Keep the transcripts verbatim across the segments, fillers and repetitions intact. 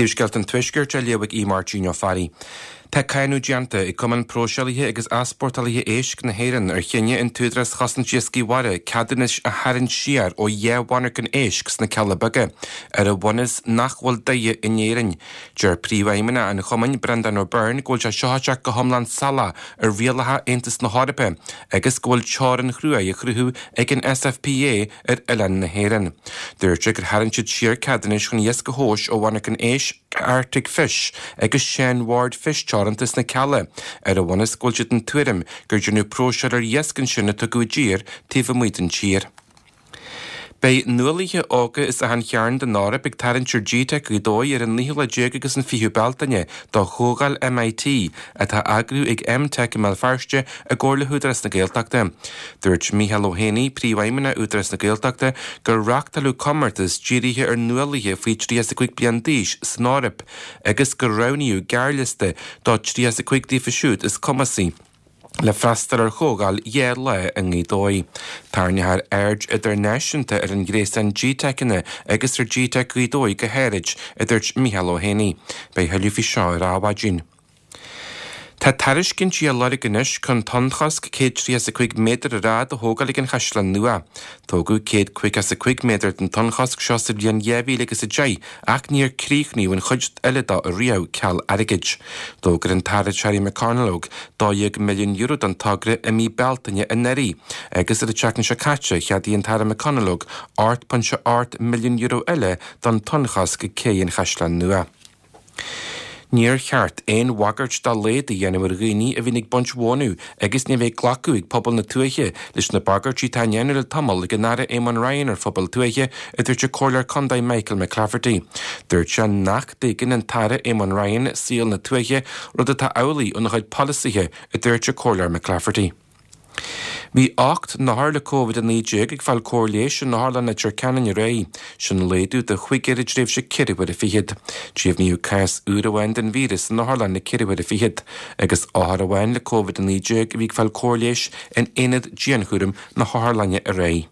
Príomhscéalta an Tuaiscirt á léamh ag Aodh Máirtín Ó Fearraigh. Tá cáineadh déanta ag Cumann Próiseálaithe agus Easpórtálaithe Éisc na hÉireann ar chinneadh an tÚdarás Chosaint Iascaigh Mhara ceadúnais a tharraingt siar ó dhá mhonarcha éisc sna Cealla Beaga, ar an bhunús nach bhfuil daighe in Éirinn. Deir príomhfheidhmeannach an chumainn Breandán O'Byrne go bhfuil sé seo ag teacht go hiomlán salach ar rialacha Aontas na hEorpa agus go bhfuil teorainn chrua á chruthú ag an SFPA ar oileán na hÉireann. Dúirt sé gur tharraing siad siar ceadúnais chun iasc a thomhas ó mhonarcha éisc Arctic Fish agus Sean Ward Fish Teoranta sna Cealla, ar an bhunús go bhfuil siad den tuairim gur déanadh próiseáil ar iasc ansin a tugadh i dtír taobh amuigh den tír. Beidh nuálaithe óga as achan chearn den Eoraip ag tarraingt ar GTeic Ghaoth Dobhair ar an naoú lá déag agus an fichiú Bealtaine do Chomhdháil MIT atá á eagrú ag MTech i mBéal Feirste i gcomhar le hÚdarás na Gaeltachta. Dúirt Mícheál Ó hÉanaí, príomhfheidhmeannach Údarás na Gaeltachta, gur reáchtáladh comórtas dírithe ar nuálaithe faoi tríocha is a cúig bliain d'aois san Eoraip agus gur roghnaíodh gearrliosta de tríocha is a cúig díofa siúd is cumasaí le freastal ar chomhdháil dhá lá i nGaoth Dobhair. Tarraingeofar aird idirnáisiúnta ar an ghréasán GTeiceanna agus ar GTeic Ghaoth Dobhair go háirid, a dúirt Mícheál Ó hÉanaí. Beidh thuilleadh faoi seo ar Adhmhaidin. Tá tairiscintí á lorg anois chun tonnchosc céad tríocha is a cúig méadar ar fhad a thógáil ag an Chaisleán Nua. Tógadh céad caoga is a cúig méadar den tonnchosc seo sa bhliain dhá mhíle agus a deich ach níor críochnaíodh an chuid eile dó ariamh ceal airgid. D'fhógair an tAire Terry McConalogue dó dhéag milliún euro don togra i mí Bealtaine anuraidh agus ar an tseachtain seo caite cheadaigh an tAire McConalogue ocht pointe ocht milliún euro eile don tonnchosc ag Cé an Chaisleáin Nua. Níor cheart aon bhagairt dá laghad a dhéanamh ar dhaoine a bhíonn ag baint mhónadh agus ní bheidh glacadh ag pobal na tuaithe leis na bagairtí atá á ndéanamh le tamall ag an Aire Eamon Ryan ar phobal tuaithe, a dúirt an Comhairleoir Contae Michael McClafferty. Dúirt sé nach dtuigeann an tAire Eamon Ryan saol na tuaithe, rud atá amhlaidh óna chuid polasaithe, a dúirt an Comhairleoir McClafferty. Bhí ocht n-othar le Covid a naoi déag ag fáil cóir leighis in Otharlann Leitir Ceanainn aréir. Sin laghdú de chúigear i dtréimhse ceithre huaire fichead. Deimhníodh cás úr amháin den víreas in Otharlann na ceithre huaire fichead, agus othar amháin le Covid a naoi déag a bhí ag fáil cóir leighis in aonad dianchúraim na hotharlainne aréir.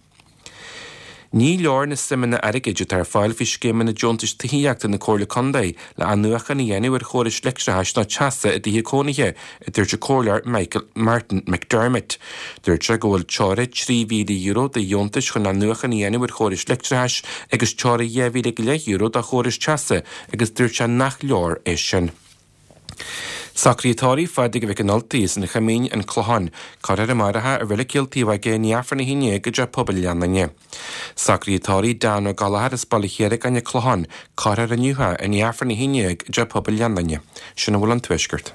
Ní leor na suimeanna airgid atá ar fáil faoi scéimeanna deontais tithíochta na Comhairle Contae le athnuachan a dhéanamh ar chórais leictreachais ná teasa i dtithe cónaithe, a dúirt an Comhairleoir Michael Martin McDermott. Dúirt sé go bhfuil teora trí mhíle euro do dheontais chun athnuachan a dhéanamh ar chórais leictreachais agus teora dhá mhíle go leith euro do chórais teasa agus dúirt sé nach leor é sin. Socruithe tórraimh Phádraig Mhic an Ultaigh as an Choimín, An Clochán, cuirfear amárach i Reilig Chill Taobh Aige i ndiaidh Aifreann a haon déag i dTeach Pobail Leannáin. Socruithe tórraimh Dan Ó Gallchóir as Baile Chiaragáin, An Clochán, cuirfear inniu i ndiaidh Aifreann a haon déag i dTeach Pobail Leannáin. Sin a bhfuil ón Tuaisceart.